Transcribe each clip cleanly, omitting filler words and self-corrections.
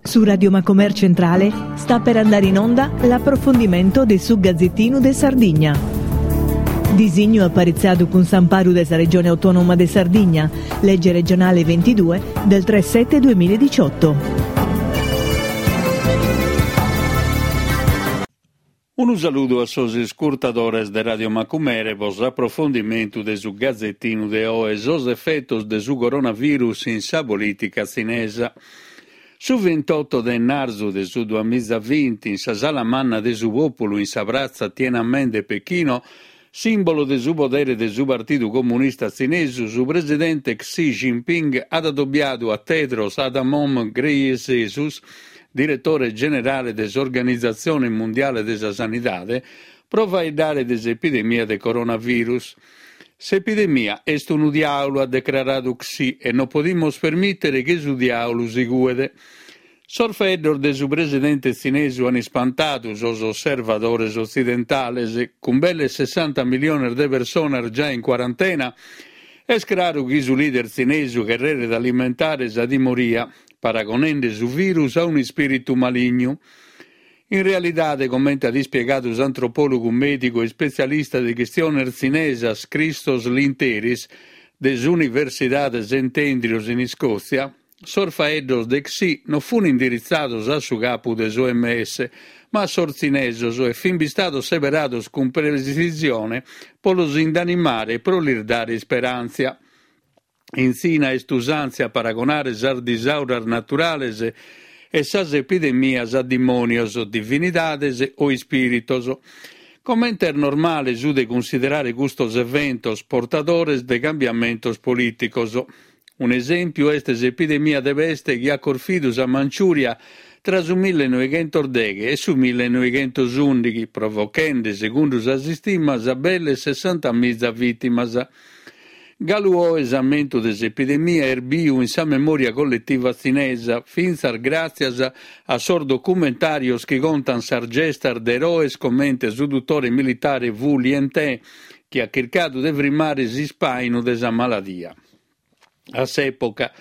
Su Radio Macomer Centrale sta per andare in onda l'approfondimento de su Gazzettinu de Sardigna. Disignu aparitzadu cun s'amparu de sa Regione Autonoma de Sardigna, legge regionale 22 del 3 7 2018. Unu saludu a sos iscurtadores de Radio Macumere pro s'aprofondimentu de su Gazetinu de oe, sos efetos de su coronavirus in sa polìtica tzinesa. Su vintotto de ennarzu de su duamizavinti, in sa Sala Manna de su Pòpulu in sa pratza Tiananmen de Pechino, sìmbolu de su podere de su Partidu Comunista Tzinesu, su presidente Xi Jinping at adobiadu a Tedros Adhanom Ghebreyesus, diretore generale de s'Organizatzione Mundiale de sa Sanidade, pro faeddare de s'epidemia de coronavirus. S'epidemia est unu diàulu, at decraradu Xi, e non podimus permìtere chi su diàulu si cuet. Sos faeddos de su presidente tzinesu an ispantadu sos osservadores otzidentales. Cun belle sessanta miliones de personas giai in cuarantena, est craru chi su leader tzinesu cherreret alimentare sa timoria, paragonende su virus a un'ispìritu malignu. In realidade, comente at ispiegadu s'antropòlogu mèdigu e ispetzialista de chistiones tzinesas Christos Lynteris, de s'Universidade Saint Andrews in Iscòtzia, Sos faeddos de Xi non fun indiritzados a su capu de s'OMS, ma a sos tzinesos e fin bistados seberados cun pretzisione pro los indanimare e pro lis dare isperàntzia. In Tzina est usàntzia a paragonare sas disauras naturales e sas epidemias a dimònios, divinidades o ispìritos. Comente est normale su de cunsiderare custos eventos portadores de cambiamentos polìticos. Un'esèmpiu est s'epidemia de peste chi at corfidu sa Manciùria tra su millenoighentosdeghe e su millenoighentosùndighi, provochende, segundu sas istimas, belle sessantamiza vìtimas. Galu oe s'ammentu de s'epidemia est biu in sa memòria colletiva tzinesa, fintzas gràtzias a sos documentàrios chi contant sas gestas de eroes comente su dutore militare Wu Lien-teh, chi at chircadu de frimmare s'ispàinu de sa maladia. A s'època,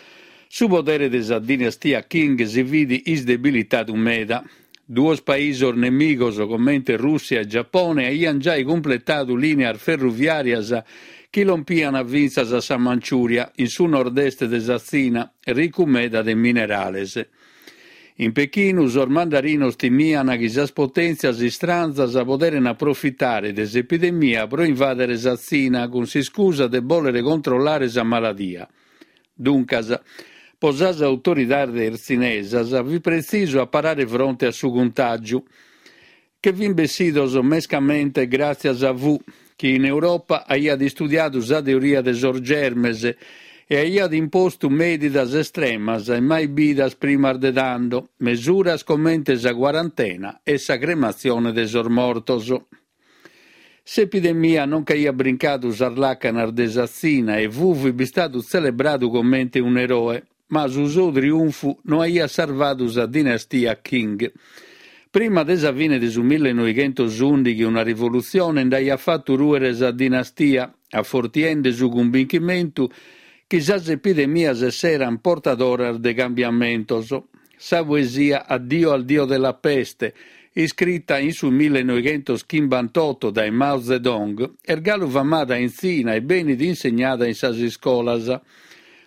su podere de sa dinastia Qing si fit isdebilitadu meda. Duos paisos nemigos comente Rùssia e Giapone aiant giai cumpletadu lìneas ferruviàrias chi lompiant fintzas a sa Manciùria, in su nord-est de sa Tzina, ricu meda de minerales. In Pechinu sos mandarinos timiant chi sas potèntzias istranzas poderen aprofitare de s'epidemia pro invàdere sa Tzina cun s'iscusa de bòlere controllare sa maladia. Duncas, pro sas autoridades tzinesas fit pretzisu a parare fronte a su cuntàgiu, che fin bessidos mescamente gràtzias a Wu, chi in Europa aiat istudiadu sa teoria de sos germes e aiat impostu medidas estremas e mai bidas primas de tando, mesuras comente sa cuarantena e sa crematzione de sos mortos. S'epidemia non nch'aiat brincadu sas làcanas de sa Tzina e Wu fit bistadu tzelebradu comente un'eroe. Ma su sou triunfu no aiat sarvadu sa dinastia Qing. Prima de sa fine de su millenoighentosùndighi una rivolutzione nd'aiat fatu rùere sa dinastia, afortiende su cumbinchimentu chi sas epidemias esserant portadoras de cambiamentos. Sa poesia Addio al dio della peste, iscrita in su millenoighentoschimbantotto dae Mao Zedong, est galu famada in Tzina e benit insegnada in sas iscolas.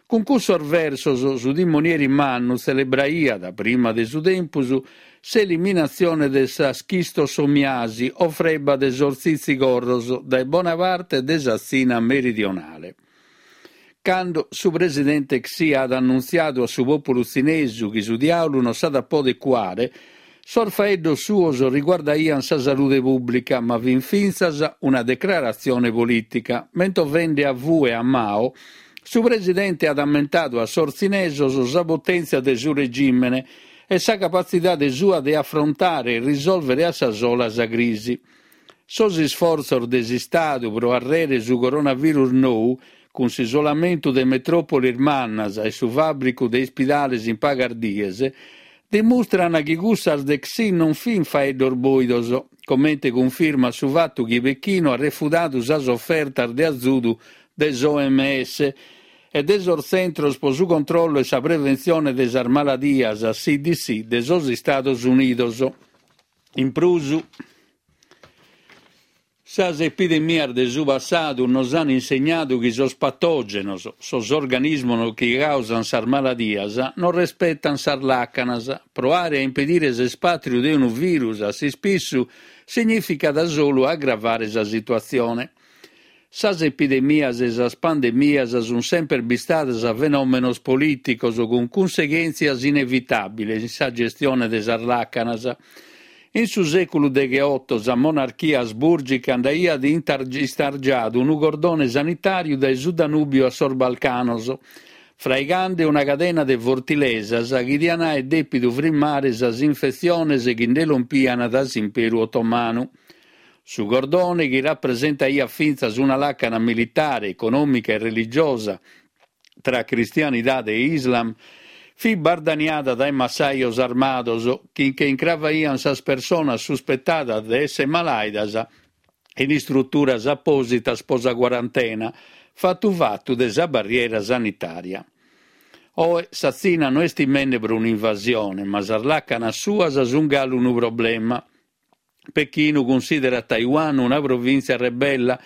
Cun cussos versos su timonieri mannu tzelebraiat, prima de su tempus, s'eliminatzione de sa schistosomiasi o freba de sos tzitzigorros dae bona parte de sa Tzina meridionale. Cando su presidente Xi at annuntziadu a su pòpulu tzinesu chi su diàulu non s'at a poder cuare, sos faeddos suos riguardaiant sa salude pùblica, ma fin fintzas una decraratzione polìtica. Mentovende a Wu e a Mao, su presidente at ammentadu a sos tzinesos sa potèntzia de su regìmene e sa capatzidade sua de afrontare e risòlvere a sa sola sa crisi. Sos isfortzos de s'Istadu pro arrere su coronavirus nou, cun s'isolamentu de metròpolis mannas e su fàbricu de ispidales in pagas dies, dimustran chi cussas de Xi non fin faeddos bòidos, comente cunfirmat su fatu chi Pechino at refudadu sas ofertas de azudu de s'OMS. e de sos Tzentros pro su controllu e sa preventzione de sas maladias, CDC, de sos Istados Unidos. In prus, sas epidemias de su passadu nos an insegnadu chi sos patògenos, sos organismos chi càusan sas maladias, non respetan sas làcanas. Proare a impedire s'espàtriu de unu virus a s'ispissu signìficat solu agravare sa situatzione. Sas epidemias e sas pandemias sunt semper bistadas fenòmenos polìticos cun cunseghèntzias inevitàbiles in sa gestione de sas làcanas. In su sèculu degheoto sa monarchia asbùrgica nd'aiat istargiadu unu cordone sanitàriu dae su Danùbiu a sos Balcanos, fraigande una cadena de fortilesas chi diant àere dèpidu frimmare sas infetziones chi nde lompiant dae s'Imperu Otomanu. Su cordone, chi rapresentaiat fintzas una làcana militare, econòmica e religiosa tra cristianidade e islam, fit bardaniada dae massajos armados chi nche incravaiant sas personas suspetadas de èssere malàidas in istruturas apòsitas pro sa cuarantena, fatu fatu de sa barriera sanitària. Oe sa Tzina no est timende pro un'invasione, ma sas làcanas suas sunt galu unu problema. Pechinu cunsìderat Taiwan una provìntzia rebella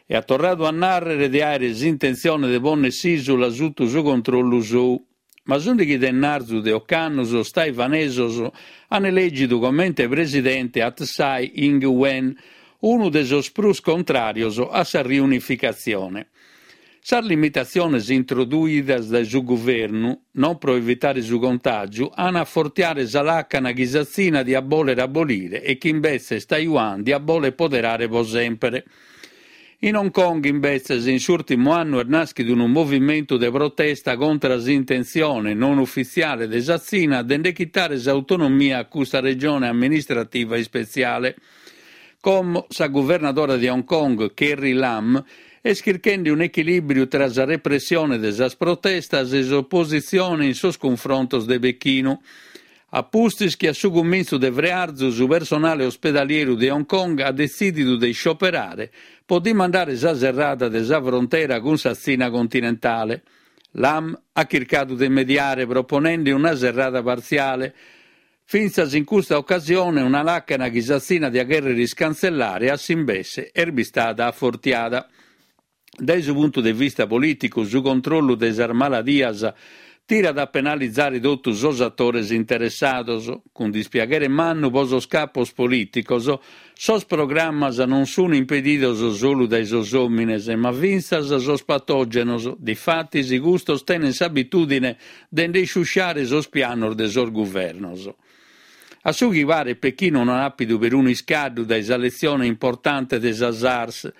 e at torradu a nàrrere de àere s'intentzione de pònnere s'ìsula sutu su controllu sou. Ma s'ùndighi de ennarzu de ocannu sos taiwanesos an elègidu comente presidente a Tsai Ing-wen, unu de sos prus contràrios a sa riunificatzione. Sas limitatziones introduidas dae su guvernu, non pro evitare su contàgiu, an a afortiare sa làcana chi sa Tzina diat bòlere abolire e chi imbetzes Taiwan diat bòlere poderare pro semper. In Hong Kong, imbetzes, in s'ùrtimu annu est nàschidu unu movimentu de protesta contra s'intentzione non ufitziale de sa Tzina de nde chitare s'autonomia a custa regione amministrativa ispetziale. Como sa guvernadora de Hong Kong, Carrie Lam, est chirchende un'echilìbriu tra sa repressione de sas protestas e s'opositzione in sos cunfrontos de Pechinu. A pustis chi a su cumintzu de frearzu su personale ospedalieru de Hong Kong at detzìdidu de iscioperare pro dimandare sa serrada de sa frontera cun sa Tzina continentale, Lam at chircadu de mediare proponende una serrada partziale. Fintzas in custa ocasione una làcana chi sa Tzina diat chèrrere iscantzellare a s'imbesse est bistada afortiada. Dae su puntu de vista polìticu su controllu de sas maladias tirat a penalizare totu sos atores interessados. Cun dispiaghere mannu pro sos capos polìticos, sos programmas non sunt impedidos solu dae sos òmines, ma fintzas sos patògenos, difatis custos tenent s'abitùdine de nde isciusciare sos pianos de sos guvernos. A su chi paret Pechino no at àpidu perunu iscaddu dae sa letzione importante de sa SARS,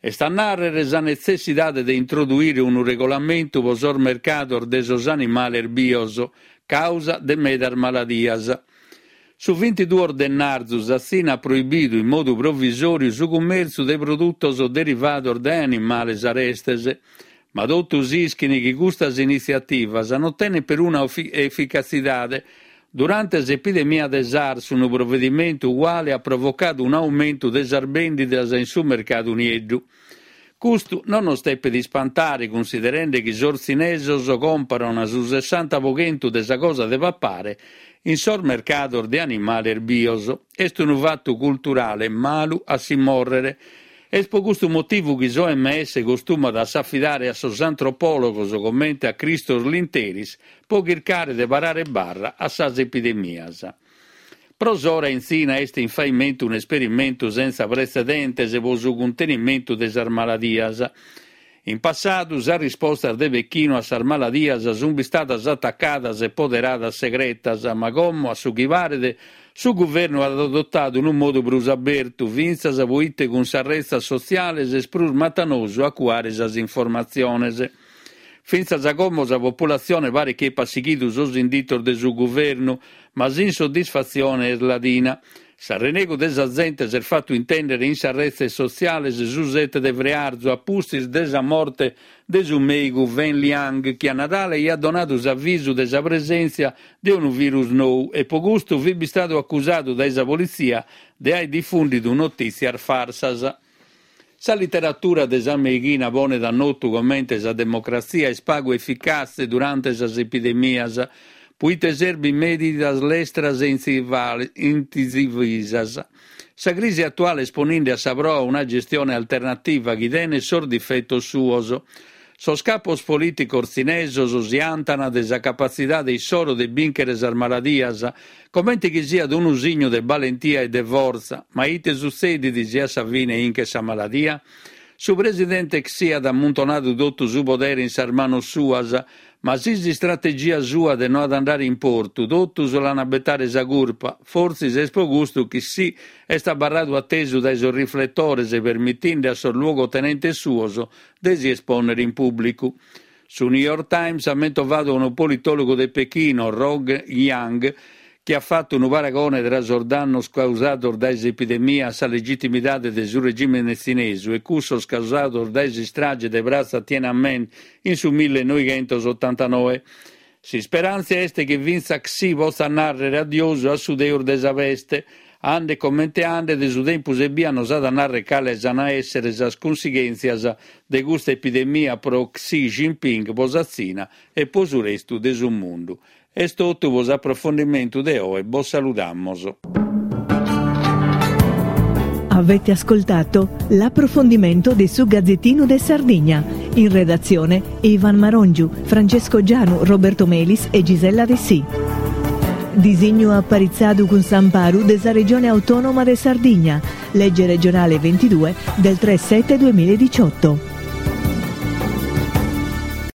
est a nàrrere sa netzessidade de introduire unu regolamentu pro sos mercados de sos animales bios, càusa de medas maladias. Su bintiduos de ennarzu sa Tzina at proibidu in modu provisòriu su cummèrtziu de produtos derivados dae animales arestes. Ma totus ischin chi custas initziativas non tenent peruna eficatzidade. Durante s'epidemia de SARS unu provedimentu uguale at provocadu un'aumentu de sas bèndidas in su mercadu nieddu. Custu non nos depet ispantare cunsiderende chi sos tzinesos còmporan su sessanta pro chentu de sa cosa de papare in sos mercados de animales bios. Est unu fatu culturale malu a si mòrrere. Est pro custu motivu chi s'OMS costumat a s'afidare a sos antropòlogos comente a Christos Lynteris pro chircare de parare barra a sas epidemias. Pro s'ora in Tzina est in faimentu un'esperimentu sentza pretzedentes pro su cuntenimentu de sas maladias. In passadu sas rispostas de Pechino a sas maladias sunt bistadas atacadas e poderadas segretas, ma como, a su chi paret, su guvernu at adotadu unu modu prus abertu, fintzas proite cun sas retzas sotziales est prus matanosu a cuare sas informatziones. Fintzas a como sa populatzione paret chi epat sighidu sos inditos de su guvernu, ma s'insoddisfatzione est ladina. S'arrenegu de sa zente s'est fatu intèndere in sas retzes sotziales su sete de frearzu a pustis de sa morte de su mèigu Wen Liang chi a Nadale aiat donadu s'avisu de sa presèntzia de unu virus nou e pro custu fit bistadu acusadu dae sa politzia de aer difùndidu notìtzias farsas. Sa literatura de sa meighina ponet a notu comente sa democratzia est pagu eficatze durante sas epidemias, puite serbint medidas lestras e intzivisas. Sa crisi atuale est poninde a sa proa una gestione alternativa chi tenet sos difetos suos. Sos capos polìticos tzinesos si antan de sa capatzidade issoro de bìnchere sas maladias, comente chi siat unu signu de balentia e de fortza, ma ite sutzedit si a sa fine inchet sa maladia? Su presidente Xi at ammuntonadu totu su podere in sas manos suas, Ma si s'istrategia sua de no at andare in portu, totus l'an a betare sa curpa. Fortzis est pro custu chi Xi est abarradu a tesu dae sos rifletores permitinde a sos luogotenentes suos de si espònnere in pùblicu. Su New York Times at mentovadu unu politòlogu de Pechino, Rong Yang, chi at fatu unu paragone tra sos dannos causados dae s'epidemia a sa legitimidade de su regìmene tzinesu e cussos causados dae s'istrage de pratza Tiananmen in su millenoighentos-otantanoe. S'isperàntzia est chi fintzas Xi potzat nàrrere adiosu a su Deus de sa peste. Andet comente andet, su tempus ebbia nos at a nàrrere cales an a èssere sas cunsighèntzias de custa epidemia pro Xi Jinping, pro sa Tzina e pro su restu de su mundu. Est totu pro s'aprofondimentu de oe, bos saludamos. Avete ascoltato l'approfondimento de su Gazzettino de Sardigna. In redazione Ivan Marongiu, Francesco Gianu, Roberto Melis e Gisella Dessì. Disignu aparitzadu cun s'amparu de sa Regione Autonoma de Sardigna, legge regionale 22 del 3 7 2018.